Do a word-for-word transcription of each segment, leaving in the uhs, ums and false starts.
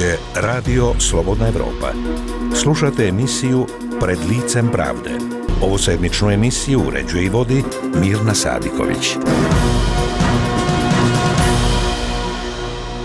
je Radio Slobodna Evropa. Slušate emisiju Pred licem pravde. Ovosedmičnu emisiju uređuje i vodi Mirna Sadiković.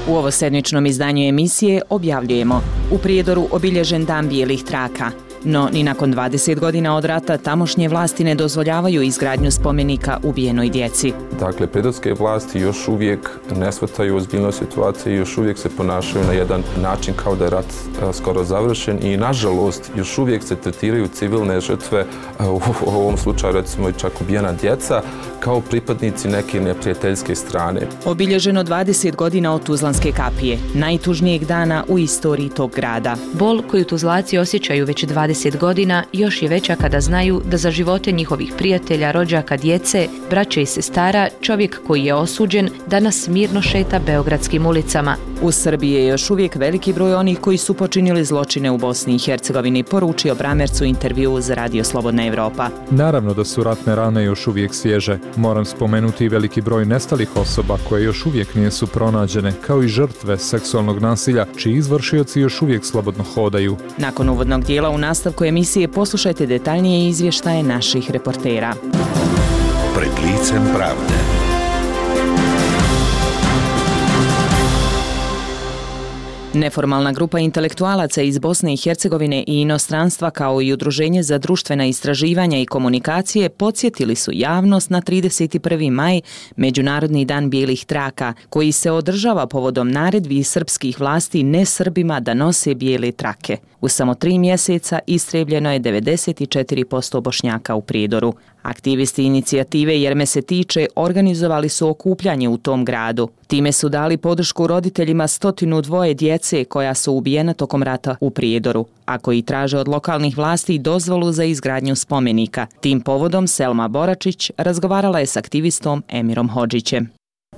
U ovosedmičnom izdanju emisije objavljujemo: u Prijedoru obilježen dan bijelih traka. No, ni nakon dvadeset godina od rata tamošnje vlasti ne dozvoljavaju izgradnju spomenika ubijenoj djeci. Dakle, prijedorske vlasti još uvijek ne shvataju ozbiljnost situacije i još uvijek se ponašaju na jedan način kao da je rat a, skoro završen i, nažalost, još uvijek se tretiraju civilne žrtve, a, u, u ovom slučaju recimo i čak ubijena djeca, kao pripadnici neke neprijateljske strane. Obilježeno dvadeset godina od Tuzlanske kapije, najtužnijeg dana u istoriji tog grada. Bol koju Tuzlaci osjećaju već dvadeset godina još je veća kada znaju da za živote njihovih prijatelja, rođaka, djece, braće i sestara, čovjek koji je osuđen danas mirno šeta beogradskim ulicama. U Srbiji je još uvijek veliki broj onih koji su počinili zločine u Bosni i Hercegovini, poručio Bramerc u intervjuu za Radio Slobodna Evropa. Naravno da su ratne rane još uvijek svježe. Moram spomenuti i veliki broj nestalih osoba koje još uvijek nisu pronađene, kao i žrtve seksualnog nasilja, čiji izvršioci još uvijek slobodno hodaju. Nakon uvodnog dijela u nastavku emisije poslušajte detaljnije izvještaje naših reportera. Pred licem pravde. Neformalna grupa intelektualaca iz Bosne i Hercegovine i inostranstva kao i Udruženje za društvena istraživanja i komunikacije podsjetili su javnost na trideset prvi maj, Međunarodni dan bijelih traka, koji se održava povodom naredbi srpskih vlasti nesrbima da nose bijele trake. U samo tri mjeseca istrijebljeno je devedeset četiri posto Bošnjaka u Prijedoru. Aktivisti inicijative Jer me se tiče organizovali su okupljanje u tom gradu. Time su dali podršku roditeljima stotinu dvoje djece koja su ubijena tokom rata u Prijedoru, a koji traže od lokalnih vlasti dozvolu za izgradnju spomenika. Tim povodom Selma Boračić razgovarala je s aktivistom Emirom Hodžićem.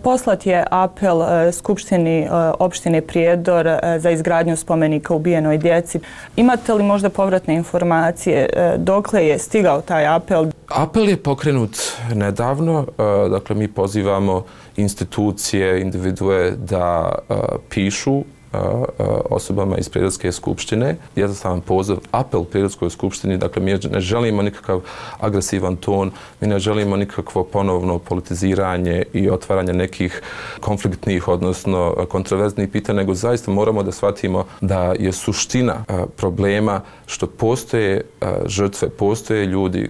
Poslat je apel Skupštini opštine Prijedor za izgradnju spomenika ubijenoj djeci. Imate li možda povratne informacije dokle je stigao taj apel? Apel je pokrenut nedavno, dakle mi pozivamo institucije, individue da pišu osobama iz Prijedorske skupštine. Jednostavan poziv, apel Prijedorskoj skupštini, dakle mi ne želimo nikakav agresivan ton, mi ne želimo nikakvo ponovno politiziranje i otvaranje nekih konfliktnih, odnosno kontroverznih pitanja, nego zaista moramo da shvatimo da je suština problema što postoje žrtve, postoje ljudi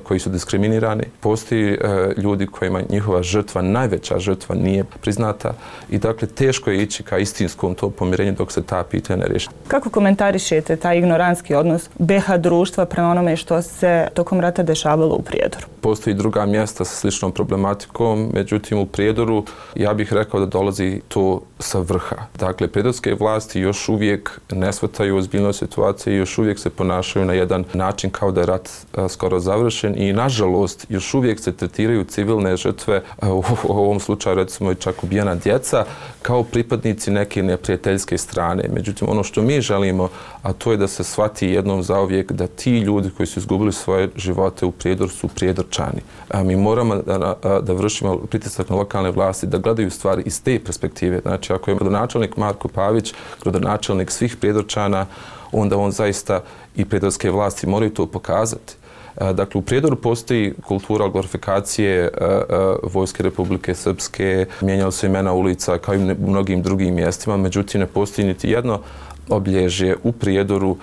koji su diskriminirani, postoji ljudi kojima njihova žrtva, najveća žrtva nije priznata i dakle teško je ići ka istinskom to pomirenje dok se ta pitanja ne riješi. Kako komentarišete taj ignorantski odnos be ha društva prema onome što se tokom rata dešavalo u Prijedoru? Postoji druga mjesta sa sličnom problematikom, međutim u Prijedoru ja bih rekao da dolazi to sa vrha. Dakle, prijedorske vlasti još uvijek ne shvataju ozbiljnost situacije i još uvijek se ponašaju na jedan način kao da je rat a, skoro završen i, nažalost, još uvijek se tretiraju civilne žrtve, a, u, u ovom slučaju recimo i čak ubijena djeca, kao pripadnici neke neprijateljske strane. Međutim, ono što mi želimo, a to je da se shvati jednom zauvijek da ti ljudi koji su izgubili svoje živote u Prijedoru su Prijedorčani. A mi moramo da, da vršimo pritisak na lokalne vlasti, da gledaju stvari iz te perspektive. Znači, ako je gradonačelnik Marko Pavić, gradonačelnik svih Prijedorčana, onda on zaista i prijedorske vlasti moraju to pokazati. Dakle, u Prijedoru postoji kultura glorifikacije Vojske Republike Srpske, mijenjalo se imena ulica kao i u mnogim drugim mjestima, međutim ne postoji niti jedno obilježje u Prijedoru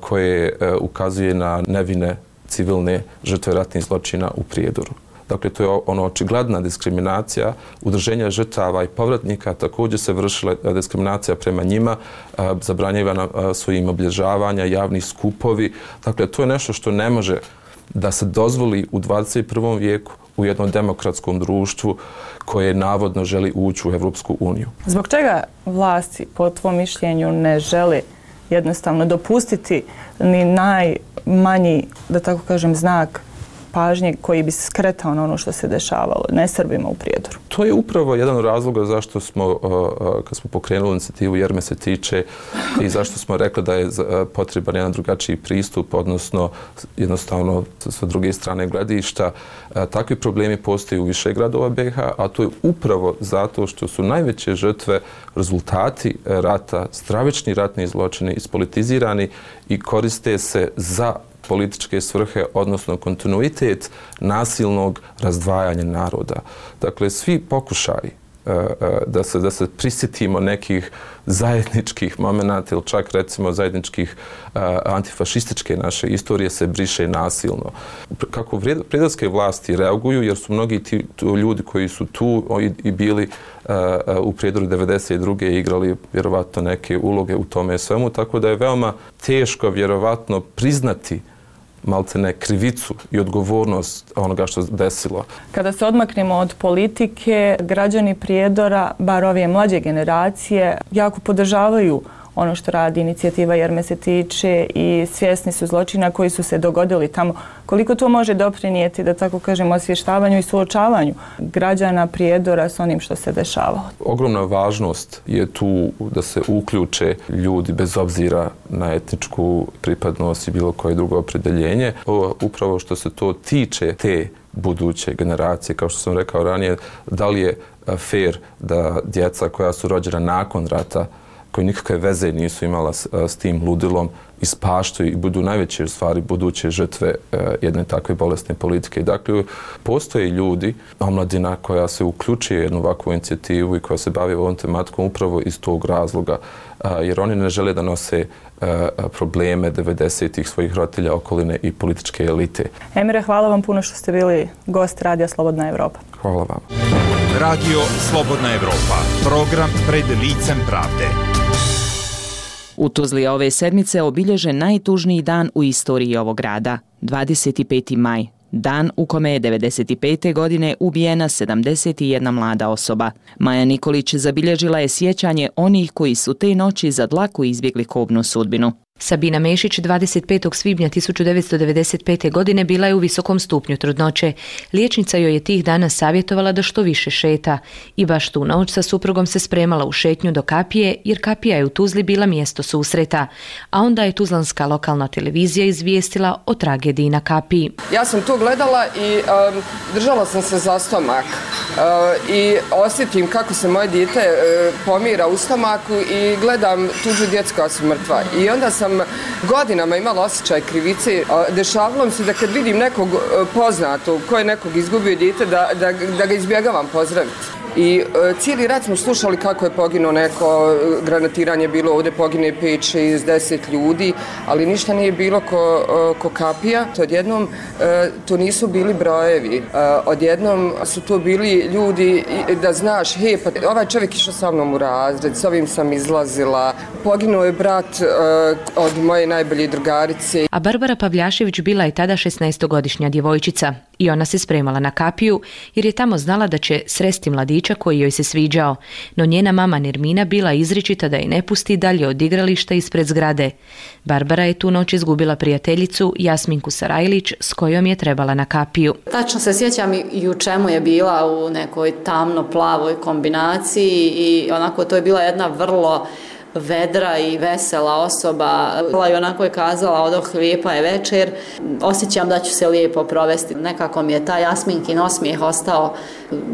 koje ukazuje na nevine civilne žrtve ratnih zločina u Prijedoru. Dakle, to je ono očigledna diskriminacija. Udruženja žrtava i povratnika također se vršila diskriminacija prema njima, zabranjivana su im obilježavanja, javni skupovi. Dakle, to je nešto što ne može da se dozvoli u dvadeset prvom vijeku u jednom demokratskom društvu koje navodno želi ući u Evropsku uniju. Zbog čega vlasti, po tvom mišljenju, ne žele jednostavno dopustiti ni najmanji, da tako kažem, znak pažnje koji bi se skretao na ono što se dešavalo ne Srbima u Prijedoru? To je upravo jedan od razloga zašto smo, kad smo pokrenuli inicijativu Jer me se tiče i zašto smo rekli da je potreban jedan drugačiji pristup, odnosno jednostavno sa druge strane gledišta. Takvi problemi postoje u više gradova be ha, a to je upravo zato što su najveće žrtve rezultati rata, stravični ratni zločini, ispolitizirani i koriste se za političke svrhe, odnosno kontinuitet nasilnog razdvajanja naroda. Dakle, svi pokušaji da se, da se prisjetimo nekih zajedničkih momenata ili čak recimo zajedničkih uh, antifašističke naše istorije se briše nasilno. Kako prijedorske vlasti reaguju, jer su mnogi ti ljudi koji su tu i, i bili uh, u Prijedoru devedeset druge igrali vjerovatno neke uloge u tome svemu, tako da je veoma teško vjerovatno priznati maltene krivicu i odgovornost onoga što se desilo. Kada se odmaknemo od politike, građani Prijedora, bar ove mlađe generacije, jako podržavaju ono što radi inicijativa Jer me se tiče i svjesni su zločina koji su se dogodili tamo. Koliko to može doprinijeti, da tako kažemo, osvještavanju i suočavanju građana Prijedora s onim što se dešavalo? Ogromna važnost je tu da se uključe ljudi bez obzira na etničku pripadnost i bilo koje drugo opredjeljenje. Upravo što se to tiče te buduće generacije, kao što sam rekao ranije, da li je fair da djeca koja su rođena nakon rata, koji nikakve veze nisu imala s, s tim ludilom, ispaštaju i budu najveće u stvari buduće žrtve e, jedne takve bolesne politike. Dakle, postoje ljudi, omladina koja se uključuje u jednu ovakvu inicijativu i koja se bavi ovom tematikom upravo iz tog razloga, a, jer oni ne žele da nose a, probleme devedesetih svojih roditelja, okoline i političke elite. Emire, hvala vam puno što ste bili gost Radija Slobodna Evropa. Hvala vam. Radio Slobodna Evropa, program Pred licem pravde. U Tuzli ove sedmice obilježen najtužniji dan u istoriji ovog grada, dvadeset peti maj, dan u kome je devedeset pete godine ubijena sedamdeset jedna mlada osoba. Maja Nikolić zabilježila je sjećanje onih koji su te noći za dlaku izbjegli kobnu sudbinu. Sabina Mešić dvadeset petog svibnja hiljadu devetsto devedeset pete. godine bila je u visokom stupnju trudnoće. Liječnica joj je tih dana savjetovala da što više šeta i baš tu noć sa suprugom se spremala u šetnju do kapije, jer kapija je u Tuzli bila mjesto susreta, a onda je tuzlanska lokalna televizija izvijestila o tragediji na kapiji. Ja sam to gledala i um, držala sam se za stomak uh, i osjetim kako se moje dijete uh, pomira u stomaku i gledam tuđu djecu koja su mrtva. I onda sam godinama imala osjećaj krivice. Dešavalo mi se da kad vidim nekog poznatog koji je nekog izgubio dijete, da, da, da ga izbjegavam pozdraviti. I uh, cijeli rat smo slušali kako je poginuo neko, granatiranje bilo ovdje, pogine pet, šest, deset ljudi, ali ništa nije bilo ko, uh, ko kapija. To odjednom, uh, to nisu bili brojevi. Uh, odjednom su to bili ljudi da znaš, hej, pa ovaj čovjek išao sa mnom u razred, s ovim sam izlazila, poginuo je brat uh, od moje najbolje drugarice. A Barbara Pavljašević bila je tada šesnaestogodišnja djevojčica i ona se spremala na kapiju jer je tamo znala da će sresti mladića koji joj se sviđao, no njena mama Nermina bila izričita da je ne pusti dalje od igrališta ispred zgrade. Barbara je tu noć izgubila prijateljicu Jasminku Sarajlić s kojom je trebala na kapiju. Tačno se sjećam i u čemu je bila, u nekoj tamno-plavoj kombinaciji i onako to je bila jedna vrlo vedra i vesela osoba. I onako je kazala, odoh, lijepa je večer, osjećam da ću se lijepo provesti. Nekako mi je taj Jasminkin osmijeh ostao.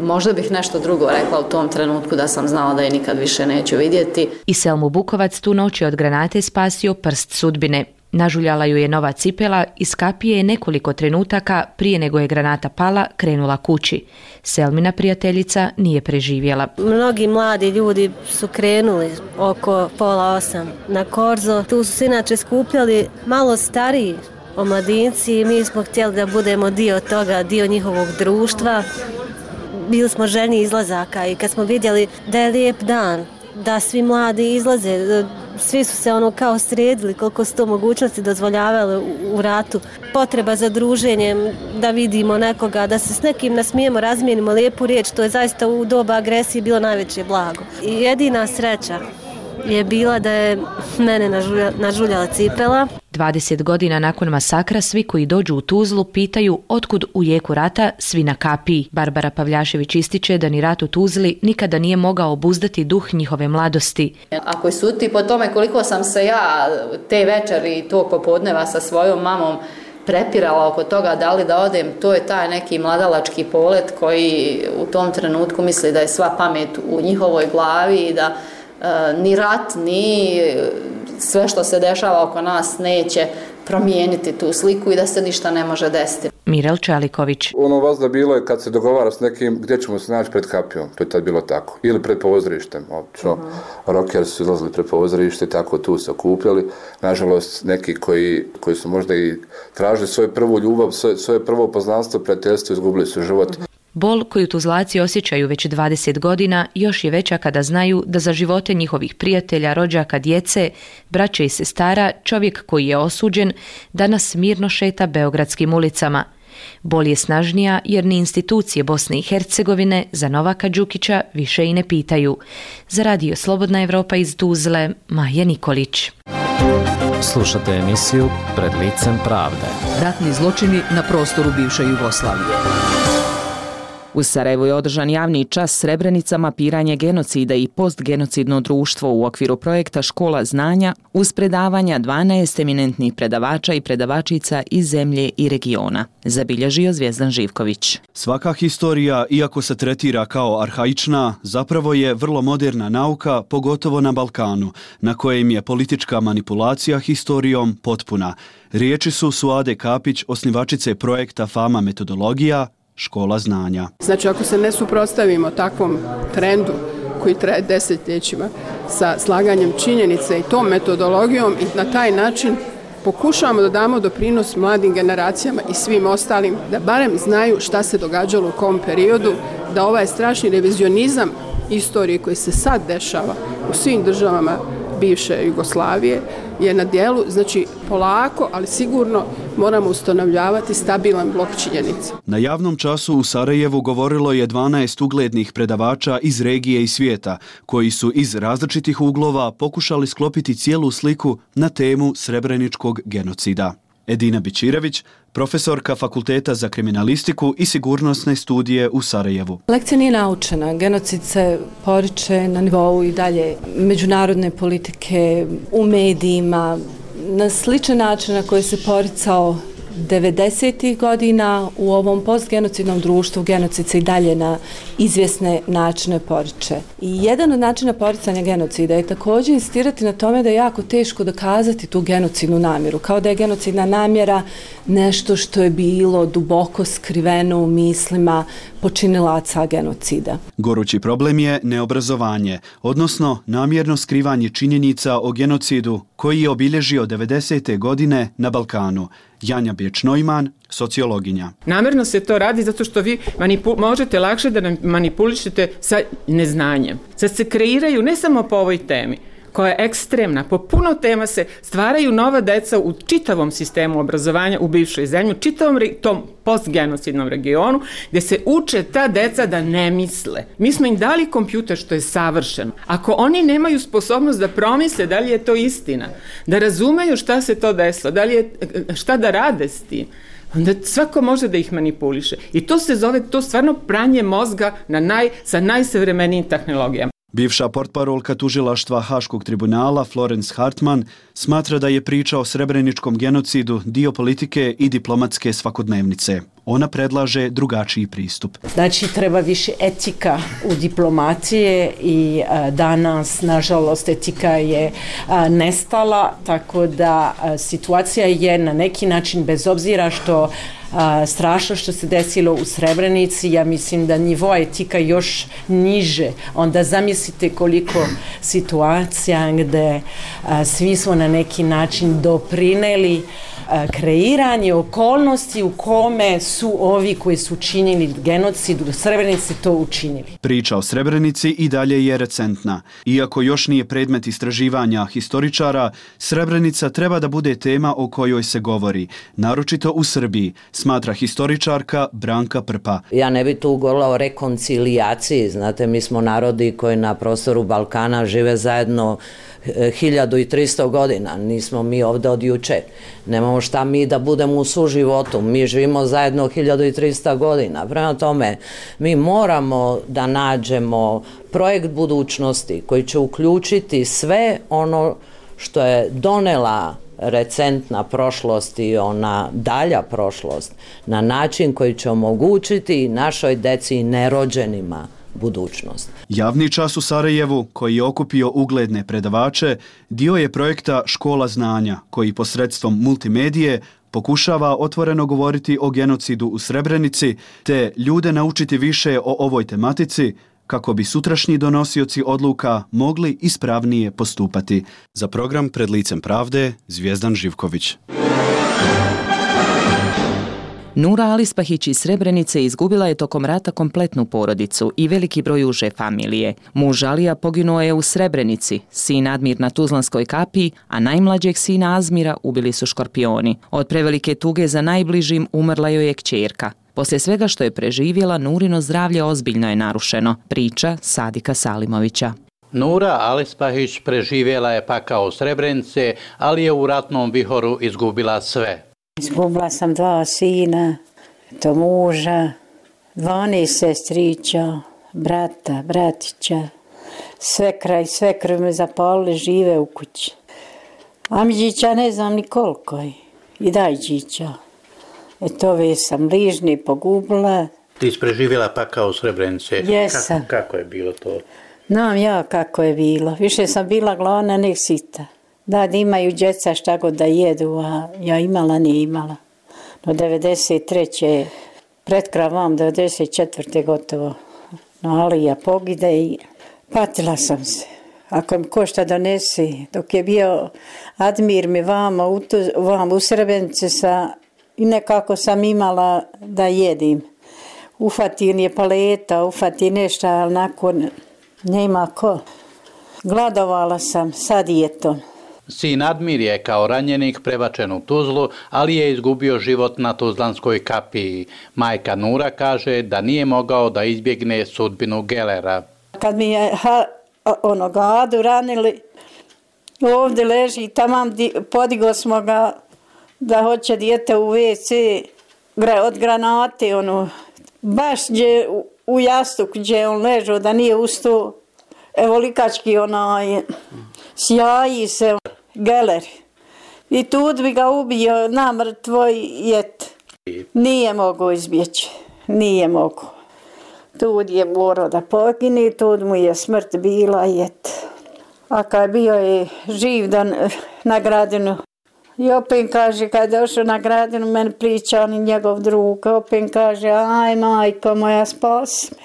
Možda bih nešto drugo rekla u tom trenutku da sam znala da je nikad više neću vidjeti. I Selmu Bukovac tu noć je od granate spasio prst sudbine. Nažuljala ju je nova cipela, iz kapije je nekoliko trenutaka prije nego je granata pala krenula kući. Selmina prijateljica nije preživjela. Mnogi mladi ljudi su krenuli oko pola osam na Korzo. Tu su se inače skupljali malo stariji omladinci i mi smo htjeli da budemo dio toga, dio njihovog društva. Bili smo željni izlazaka i kad smo vidjeli da je lijep dan, da svi mladi izlaze, svi su se ono kao sredili koliko su to mogućnosti dozvoljavale u, u ratu. Potreba za druženjem, da vidimo nekoga, da se s nekim nasmijemo, razmijenimo lijepu riječ, to je zaista u doba agresije bilo najveće blago. I jedina sreća je bila da je mene nažulja, nažuljala cipela. dvadeset godina nakon masakra svi koji dođu u Tuzlu pitaju otkud u jeku rata svi na kapiji. Barbara Pavljašević ističe da ni rat u Tuzli nikada nije mogao obuzdati duh njihove mladosti. Ako je suti po tome koliko sam se ja te večeri i tog popodneva sa svojom mamom prepirala oko toga da li da odem, to je taj neki mladalački polet koji u tom trenutku misli da je sva pamet u njihovoj glavi i da e, ni rat, ni sve što se dešava oko nas neće promijeniti tu sliku i da se ništa ne može desiti. Mirel Čaliković. Ono vazda bilo je kad se dogovara s nekim gdje ćemo se naći pred kapijom, to je tad bilo tako. Ili pred pozorištem, obično. Uh-huh. Rockeri su izlazili pred pozorište i tako tu se okupljali. Nažalost, neki koji, koji su možda i tražili svoju prvu ljubav, svoje, svoje prvo poznanstvo, prijateljstvo, izgubili su život. Bol koju Tuzlaci osjećaju već dvadeset godina još je veća kada znaju da za živote njihovih prijatelja, rođaka, djece, braće i sestara čovjek koji je osuđen danas mirno šeta beogradskim ulicama. Bol je snažnija jer ni institucije Bosne i Hercegovine za Novaka Đukića više i ne pitaju. Za Radio Slobodna Evropa iz Tuzle, Maja Nikolić. Slušate emisiju Pred licem pravde. Ratni zločini na prostoru bivše Jugoslavije. U Sarajevu je održan javni čas Srebrenica, mapiranje genocida i postgenocidno društvo u okviru projekta Škola znanja uz predavanja dvanaest eminentnih predavača i predavačica iz zemlje i regiona, zabilježio Zvijezdan Živković. Svaka historija, iako se tretira kao arhaična, zapravo je vrlo moderna nauka, pogotovo na Balkanu, na kojem je politička manipulacija historijom potpuna. Riječi su Suade Kapić, osnivačice projekta Fama metodologija, Škola znanja. Znači, ako se ne suprotstavimo takvom trendu koji traje desetljećima sa slaganjem činjenice i tom metodologijom i na taj način pokušavamo da damo doprinos mladim generacijama i svim ostalim da barem znaju šta se događalo u kom periodu, da ovaj strašni revizionizam istorije koji se sad dešava u svim državama bivše Jugoslavije je na dijelu, znači polako, ali sigurno moramo ustanovljavati stabilan blok činjenica. Na javnom času u Sarajevu govorilo je dvanaest uglednih predavača iz regije i svijeta, koji su iz različitih uglova pokušali sklopiti cijelu sliku na temu srebreničkog genocida. Edina Bićirević, profesorka Fakulteta za kriminalistiku i sigurnosne studije u Sarajevu. Lekcija nije naučena. Genocid se poriče na nivou i dalje međunarodne politike, u medijima, na sličan način na koji se poricao devedesetih godina u ovom postgenocidnom društvu. Genocid se i dalje na izvjesne načine poriče. I jedan od načina poricanja genocida je također insistirati na tome da je jako teško dokazati tu genocidnu namjeru, kao da je genocidna namjera nešto što je bilo duboko skriveno u mislima počinilaca genocida. Gorući problem je neobrazovanje, odnosno namjerno skrivanje činjenica o genocidu koji je obilježio devedesete godine na Balkanu. Janja Bječ-Neumann, sociologinja. Namjerno se to radi zato što vi manipu- možete lakše da nam manipulišete sa neznanjem. Sad se kreiraju ne samo po ovoj temi, koja je ekstremna. Po puno tema se stvaraju nova deca u čitavom sistemu obrazovanja u bivšoj zemlji, u čitavom re, tom postgenocidnom regionu, gdje se uče ta deca da ne misle. Mi smo im dali kompjuter što je savršeno. Ako oni nemaju sposobnost da promisle da li je to istina, da razumeju šta se to desilo, da li je, šta da rade s tim, onda svako može da ih manipuliše. I to se zove, to stvarno pranje mozga na naj, sa najsavremenijim tehnologijama. Bivša portparolka tužilaštva Haškog tribunala Florence Hartman smatra da je priča o srebreničkom genocidu dio politike i diplomatske svakodnevnice. Ona predlaže drugačiji pristup. Znači, treba više etika u diplomacije i a, danas, nažalost, etika je a, nestala, tako da a, situacija je na neki način, bez obzira što a, strašno što se desilo u Srebrenici, ja mislim da nivo etika još niže. Onda zamislite koliko situacija gdje a, svi smo na neki način doprineli kreiranje okolnosti u kome su ovi koji su učinili genocid u Srebrenici to učinili. Priča o Srebrenici i dalje je recentna. Iako još nije predmet istraživanja historičara, Srebrenica treba da bude tema o kojoj se govori, naročito u Srbiji, smatra historičarka Branka Prpa. Ja ne bi tu govorila o rekoncilijaciji, znate, mi smo narodi koji na prostoru Balkana žive zajedno hiljadu i tristo godina, nismo mi ovdje od juče. Nemamo šta mi da budemo u suživotu, mi živimo zajedno hiljadu i tristo godina. Prema tome, mi moramo da nađemo projekt budućnosti koji će uključiti sve ono što je donela recentna prošlost i ona dalja prošlost na način koji će omogućiti našoj deci i nerođenima budućnost. Javni čas u Sarajevu, koji je okupio ugledne predavače, dio je projekta Škola znanja, koji posredstvom multimedije pokušava otvoreno govoriti o genocidu u Srebrenici, te ljude naučiti više o ovoj tematici, kako bi sutrašnji donosioci odluka mogli ispravnije postupati. Za program Pred licem pravde, Zvijezdan Živković. Nura Alispahić iz Srebrenice izgubila je tokom rata kompletnu porodicu i veliki broj uže familije. Muž Alija poginuo je u Srebrenici, sin Admir na Tuzlanskoj kapiji, a najmlađeg sina Azmira ubili su škorpioni. Od prevelike tuge za najbližim umrla joj je kćerka. Poslije svega što je preživjela, Nurino zdravlje ozbiljno je narušeno, priča Sadika Salimovića. Nura Alispahić preživjela je pakao Srebrenice, ali je u ratnom vihoru izgubila sve. Izgubila sam dva sina, to muža, dvanaest sestrića, brata, bratića, svekra i svekru me zapalili, žive u kući. Amidžića ne znam ni koliko je, i dajđića. Eto, ove sam bližni pogubila. Ti si preživjela pakao u Srebrenice. Jesam. Kako, kako je bilo to? Znam ja kako je bilo. Više sam bila gladna nek sita. Da, da imaju djeca šta god da jedu, a ja imala, nije imala. No devedeset treće pred kravom, devedeset četvrte gotovo. No, ali ja pogide i patila sam se. Ako mi ko šta donesi, dok je bio Admir mi vama u, tu, vama u Srebrenici sa, i nekako sam imala da jedim. Ufatin je paleta, ufatin nešto, ali nakon nema ko. Gladovala sam sa dijetom. Sin Admir je kao ranjenik prebačen u Tuzlu, ali je izgubio život na Tuzlanskoj kapiji. Majka Nura kaže da nije mogao da izbjegne sudbinu Gelera. Kad mi je ha, ono, Adu ranili, ovdje leži, tamam podiglo smo ga da hoće dijete u ve ce od granate, ono, baš gdje, u, u jastuk gdje on ležao, da nije ustao, evo likački onaj, sjaji se Geler. I tu bi ga ubio namrtvo jet. Nije mogao izbjeći, nije mogao. Tu je morao da pogine, tu mu je smrt bila jet. A kad bio je živ da na Gradinu, i opet kaže, kad je došao na Gradinu, meni priča on i njegov drug, opet kaže, aj majko moja, spasi me.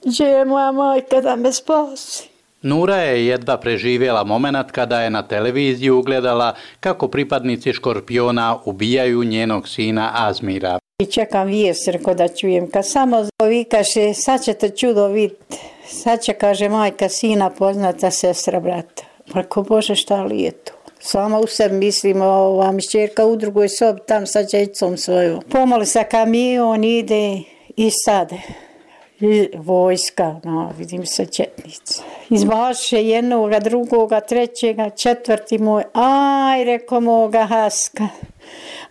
Gdje je moja majka da me spasi? Nura je jedva preživjela moment kada je na televiziji ugledala kako pripadnici škorpiona ubijaju njenog sina Azmira. I čekam vijest, reko da čujem, kad samo ovi kaže, sad ćete čudo vidjeti, sad će, kaže, majka sina poznata sestra brata. Reko, Bože, šta li je to? Sama u sebi mislimo, ova mi šćerka u drugoj sobi, tam sa djecom svojom. Pomoli sa kamion, ide i sade. I vojska, no, vidim se četnici. Izbaše jednoga, drugoga, trećega, četvrti moj, aj, reko moga Haska,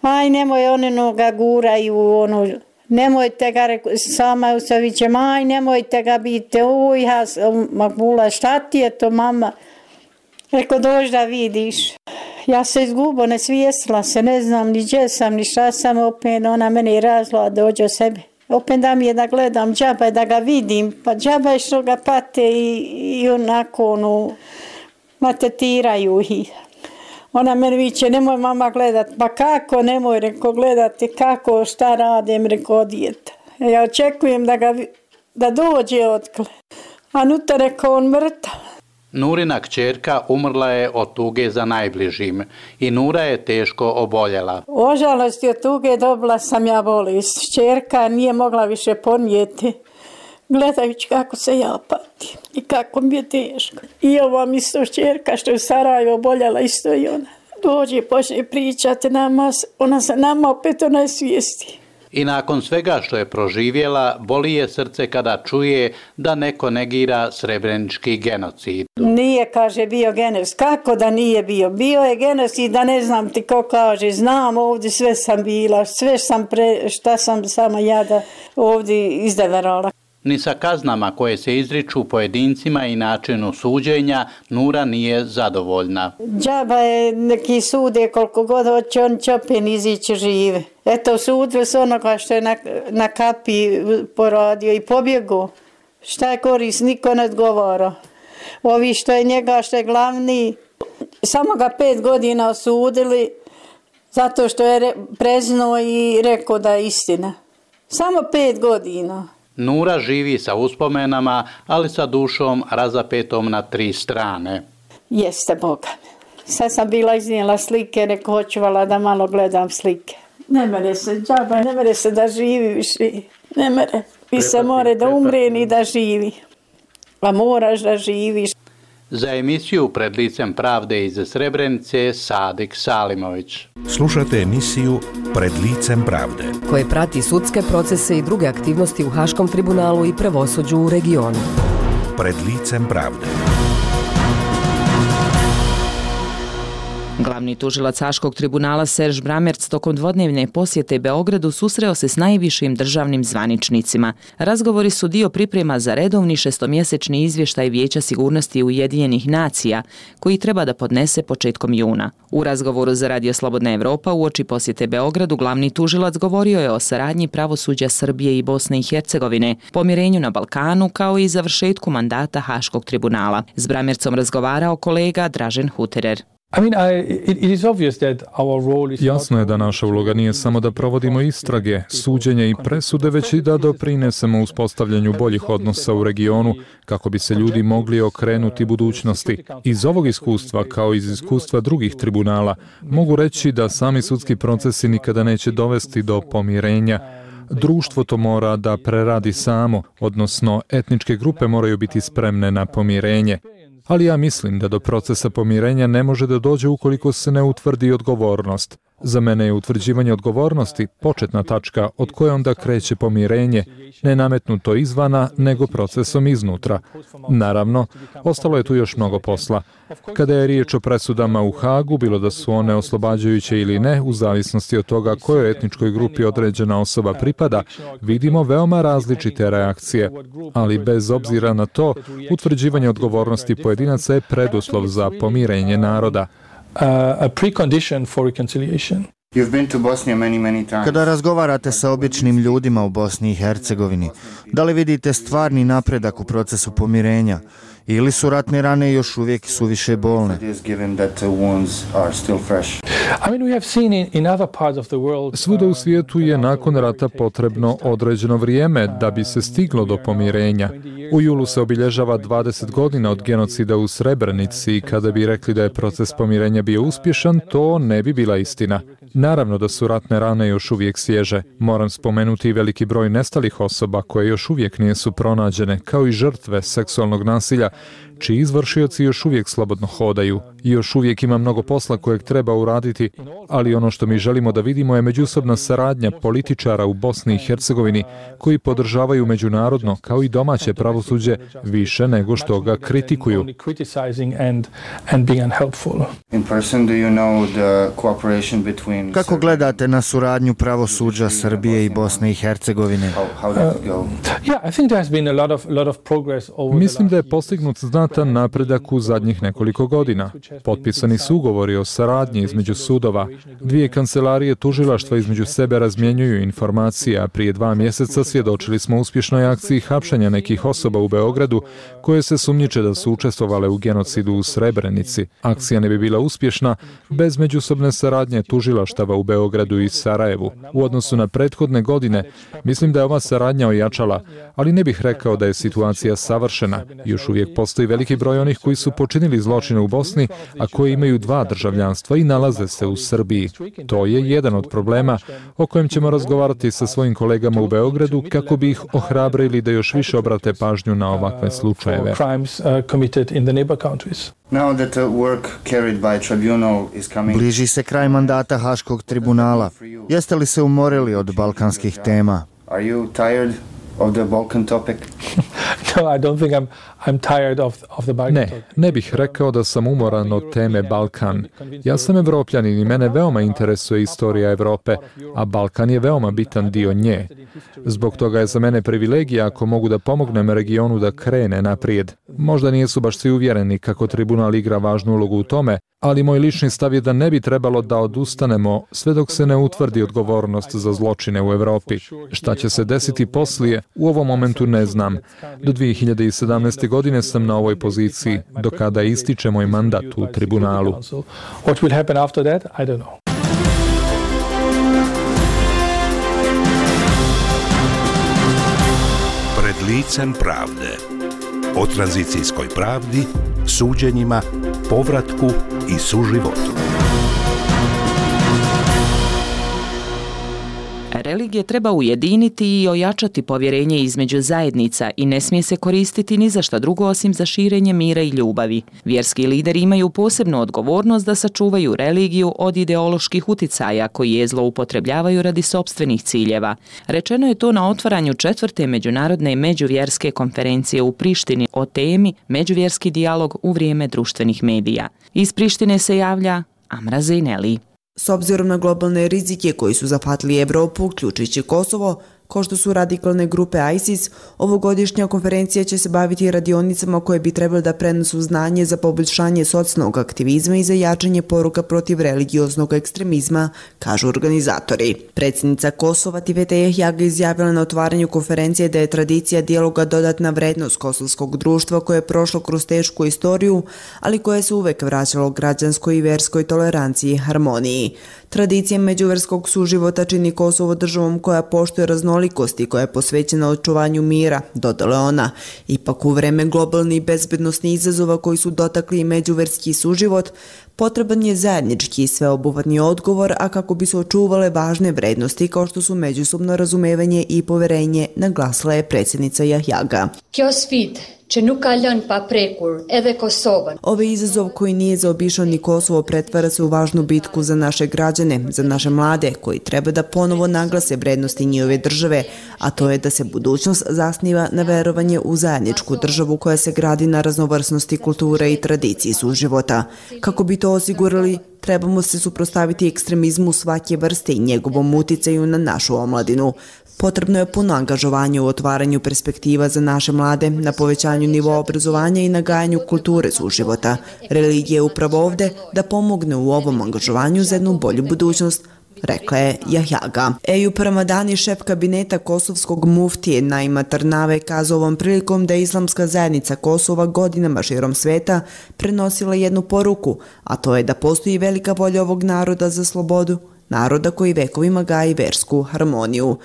aj, nemoj one noga guraju, ono, nemojte ga, reko, sama u sevićem, aj, nemojte ga biti, uj, Haska, Makbula, šta ti je to, mama? Reko, dođi da vidiš. Ja se izgubo, ne svijestila se, ne znam ni gdje sam, ni šta sam, opet ona mene razla, dođe o sebi. Opet da mi je da gledam, džaba je da ga vidim, pa džaba je što ga pate i, i onako, ono, matetiraju ih. Ona meni viče, nemoj mama gledat, pa kako, nemoj, reko, gledati, kako, šta radim, reko, dijete. Ja očekujem da ga, da dođe otkle. A nutra, reko, on mrtav. Nurina kćerka umrla je od tuge za najbližim i Nura je teško oboljela. Ožalost od tuge dobila sam ja bolest. Kćerka nije mogla više podnijeti. Gledajući kako se ja patim i kako mi je teško. I ova mi isto kćerka što je u Sarajevo oboljela isto i ona. Dođe i počne pričati nama, ona se nama opet ona svijesti. I nakon svega što je proživjela, boli je srce kada čuje da neko negira srebrenički genocid. Nije, kaže, bio genocid. Kako da nije bio? Bio je genocid, da ne znam ti ko kaže. Znam, ovdje sve sam bila, sve sam pre, šta sam samo ja da ovdje izdeverala. Ni sa kaznama koje se izriču pojedincima i načinu suđenja Nura nije zadovoljna. Džaba je neki sude koliko god hoće, on će opet izići žive. Eto, sudve s onoga što je na, na kapi poradio i pobjegu. Šta je korist, niko ne odgovara. Ovi što je njega, što je glavni, samo ga pet godina osudili zato što je preznuo i rekao da je istina. Samo pet godina. Nura živi sa uspomenama, ali sa dušom razapetom na tri strane. Jeste, Boga. Sad sam bila iznijela slike, neko hoćuvala da malo gledam slike. Ne mere se, džaba, ne mere se da živi više. Ne mere. Vi se more da umre ni da živi. A moraš da živiš. Za emisiju Pred licem pravde iz Srebrenice, Sadik Salimović. Slušate emisiju Pred licem pravde, koje prati sudske procese i druge aktivnosti u Haškom tribunalu i pravosuđu u regionu. Pred licem pravde. Glavni tužilac Haškog tribunala Serž Bramerc tokom dvodnevne posjete Beogradu susreo se s najvišim državnim zvaničnicima. Razgovori su dio priprema za redovni šestomjesečni izvještaj Vijeća sigurnosti Ujedinjenih nacija, koji treba da podnese početkom juna. U razgovoru za Radio Slobodna Evropa uoči posjete Beogradu glavni tužilac govorio je o saradnji pravosuđa Srbije i Bosne i Hercegovine, pomirenju na Balkanu kao i završetku mandata Haškog tribunala. S Bramercom razgovarao kolega Dražen Huterer. Jasno je da naša uloga nije samo da provodimo istrage, suđenje i presude, već i da doprinesemo uspostavljanju boljih odnosa u regionu kako bi se ljudi mogli okrenuti budućnosti. Iz ovog iskustva, kao iz iskustva drugih tribunala, mogu reći da sami sudski procesi nikada neće dovesti do pomirenja. Društvo to mora da preradi samo, odnosno etničke grupe moraju biti spremne na pomirenje. Ali ja mislim da do procesa pomirenja ne može da dođe ukoliko se ne utvrdi odgovornost. Za mene je utvrđivanje odgovornosti početna tačka od koje onda kreće pomirenje, ne nametnuto izvana, nego procesom iznutra. Naravno, ostalo je tu još mnogo posla. Kada je riječ o presudama u Hagu, bilo da su one oslobađajuće ili ne, u zavisnosti od toga kojoj etničkoj grupi određena osoba pripada, vidimo veoma različite reakcije. Ali bez obzira na to, utvrđivanje odgovornosti pojedinaca je preduslov za pomirenje naroda. Uh, a precondition for reconciliation. Kada razgovarate sa običnim ljudima u Bosni i Hercegovini, da li vidite stvarni napredak u procesu pomirenja ili su ratne rane još uvijek suviše bolne? Svuda u svijetu je nakon rata potrebno određeno vrijeme da bi se stiglo do pomirenja. U julu se obilježava dvadeset godina od genocida u Srebrenici i kada bi rekli da je proces pomirenja bio uspješan, to ne bi bila istina. Naravno da su ratne rane još uvijek svježe. Moram spomenuti i veliki broj nestalih osoba koje još uvijek nisu pronađene, kao i žrtve seksualnog nasilja, čiji izvršioci još uvijek slobodno hodaju. I još uvijek ima mnogo posla kojeg treba uraditi, ali ono što mi želimo da vidimo je međusobna saradnja političara u Bosni i Hercegovini koji podržavaju međunarodno kao i domaće pravosuđe više nego što ga kritikuju. Kako gledate na suradnju pravosuđa Srbije i Bosne i Hercegovine? Mislim da je postignut znatan napredak u zadnjih nekoliko godina. Potpisani su ugovori o saradnji između sudova. Dvije kancelarije tužilaštva između sebe razmjenjuju informacije, a prije dva mjeseca svjedočili smo uspješnoj akciji hapšenja nekih osoba u Beogradu koje se sumnjiče da su učestvovale u genocidu u Srebrenici. Akcija ne bi bila uspješna bez međusobne saradnje tužilaštava u Beogradu i Sarajevu. U odnosu na prethodne godine, mislim da je ova saradnja ojačala, ali ne bih rekao da je situacija savršena. Još uvijek postoji veliki broj onih koji su počinili zločine u Bosni, a koji imaju dva državljanstva i nalaze se u Srbiji. To je jedan od problema o kojem ćemo razgovarati sa svojim kolegama u Beogradu kako bi ih ohrabrili da još više obrate pažnju na ovakve slučajeve. Bliži se kraj mandata Haškog tribunala. Jeste li se umorili od balkanskih tema? Are you tired of the Balkan topic? No, I don't think I'm I'm tired of of the Balkan Ne, ne bih rekao da sam umoran od teme Balkan. Ja sam Evropljanin i mene veoma interesuje istorija Europe, a Balkan je veoma bitan dio nje. Zbog toga je za mene privilegija ako mogu da pomognem regionu da krene naprijed. Možda nisu baš svi uvjereni kako tribunal igra važnu ulogu u tome, ali moj lični stav je da ne bi trebalo da odustanemo sve dok se ne utvrdi odgovornost za zločine u Europi. Šta će se desiti poslije, u ovom momentu ne znam. Do dvije hiljade sedamnaeste. godine sam na ovoj poziciji, do kada ističe moj mandat u tribunalu. What will happen after that? I don't know. Pred licem pravde. O tranzicijskoj pravdi, suđenjima, povratku i suživotu. Religije treba ujediniti i ojačati povjerenje između zajednica i ne smije se koristiti ni za šta drugo osim za širenje mira i ljubavi. Vjerski lideri imaju posebnu odgovornost da sačuvaju religiju od ideoloških uticaja koji je zloupotrebljavaju radi sopstvenih ciljeva. Rečeno je to na otvaranju četvrte međunarodne međuvjerske konferencije u Prištini o temi Međuvjerski dijalog u vrijeme društvenih medija. Iz Prištine se javlja Amra Zejneli. S obzirom na globalne rizike koji su zahvatili Evropu, uključujući Kosovo, kao što su radikalne grupe ISIS, ovogodišnja konferencija će se baviti radionicama koje bi trebali da prenosu znanje za poboljšanje socijalnog aktivizma i za jačanje poruka protiv religioznog ekstremizma, kažu organizatori. Predsjednica Kosova Tivete Jahjaga izjavila na otvaranju konferencije da je tradicija dijaloga dodatna vrednost kosovskog društva koje je prošlo kroz tešku istoriju, ali koje se uvek vraćalo građanskoj i verskoj toleranciji i harmoniji. Tradicija međuverskog suživota čini Kosovo državom koja poštuje raznolikosti i koja je posvećena očuvanju mira, dodala ona. Ipak u vreme globalnih bezbednosnih izazova koji su dotakli i međuverski suživot, potreban je zajednički i sveobuhvatni odgovor, a kako bi se očuvale važne vrednosti kao što su međusobno razumevanje i poverenje, naglasila je predsjednica Jahjaga. Kjo sfidë që nuk ka lënë pa prekur edhe Kosovën. Ovaj izazov koji nije zaobišao ni Kosovo pretvara se u važnu bitku za naše građane, za naše mlade koji treba da ponovo naglase vrednosti njihove države, a to je da se budućnost zasniva na verovanje u zajedničku državu koja se gradi na raznovrsnosti kulture i tradiciji suživota. Kako bi to osigurali, trebamo se suprotstaviti ekstremizmu svake vrste i njegovom uticaju na našu omladinu. Potrebno je puno angažovanje u otvaranju perspektiva za naše mlade, na povećanju nivoa obrazovanja i nagajanju kulture suživota. Religija je upravo ovde da pomogne u ovom angažovanju za jednu bolju budućnost, rekla je Jahjaga. Ejup Ramadani, šef kabineta kosovskog muftije Naima Tarnave, kazao ovom prilikom da je islamska zajednica Kosova godinama širom sveta prenosila jednu poruku, a to je da postoji velika volja ovog naroda za slobodu, naroda koji vekovima gaji versku harmoniju.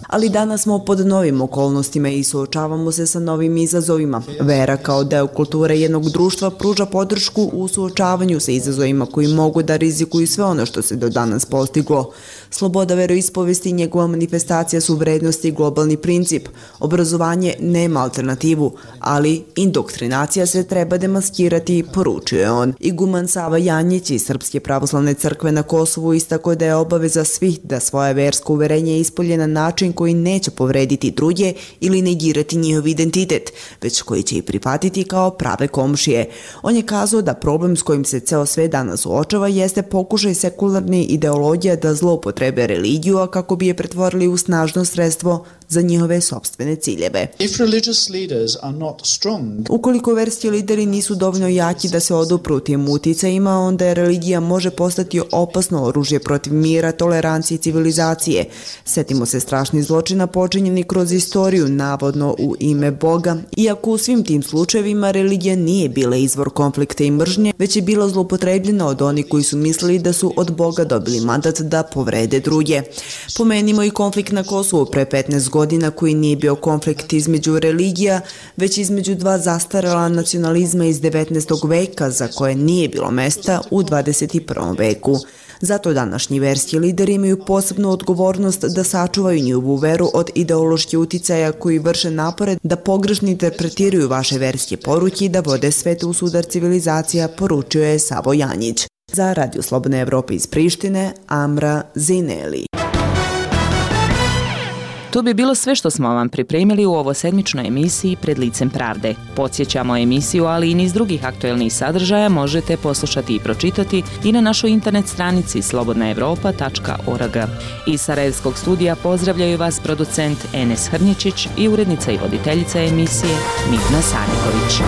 Ali danas smo pod novim okolnostima i suočavamo se sa novim izazovima. Vera kao deo kulture jednog društva pruža podršku u suočavanju sa izazovima koji mogu da rizikuju sve ono što se do danas postiglo. Sloboda veroispovesti i njegova manifestacija su vrednosti i globalni princip. Obrazovanje nema alternativu, ali indoktrinacija se treba demaskirati, poručuje on. Iguman Sava Janjić iz Srpske pravoslavne crkve na Kosovu istako da je obaveza svih da svoje versko uverenje ispolje na način koji neće povrediti druge ili negirati njihov identitet, već koji će ih prihvatiti kao prave komšije. On je kazao da problem s kojim se ceo svet danas suočava jeste pokušaj sekularne ideologije da zloupotrebe religiju, a kako bi je pretvorili u snažno sredstvo za njihove sopstvene ciljeve. Ukoliko verski lideri nisu dovoljno jaki da se odupru tim uticajima, onda je religija može postati opasno oružje protiv mira, tolerancije i civilizacije. Setimo se strašnih zločina počinjeni kroz istoriju, navodno u ime Boga, iako u svim tim slučajevima religija nije bila izvor konflikta i mržnje, već je bila zloupotrebljena od onih koji su mislili da su od Boga dobili mandat da povrede druge. Pomenimo i konflikt na Kosovu pre petnaest godina, koji nije bio konflikt između religija, već između dva zastarela nacionalizma iz devetnaestog veka za koje nije bilo mesta u dvadeset prvom veku. Zato današnji verski lideri imaju posebnu odgovornost da sačuvaju njihovu veru od ideoloških uticaja koji vrše napore da pogrešno interpretiraju vaše verske poruke i da vode svet u sudar civilizacija, poručio je Savo Janjić. Za Radio Slobodne Evrope iz Prištine, Amra Zineli. To bi bilo sve što smo vam pripremili u ovosedmičnoj emisiji Pred licem pravde. Podsjećamo emisiju, ali i niz drugih aktuelnih sadržaja možete poslušati i pročitati i na našoj internet stranici slobodna evropa tačka org. Iz Sarajevskog studija pozdravljaju vas producent Enes Hrnječić i urednica i voditeljica emisije Mirna Sadiković.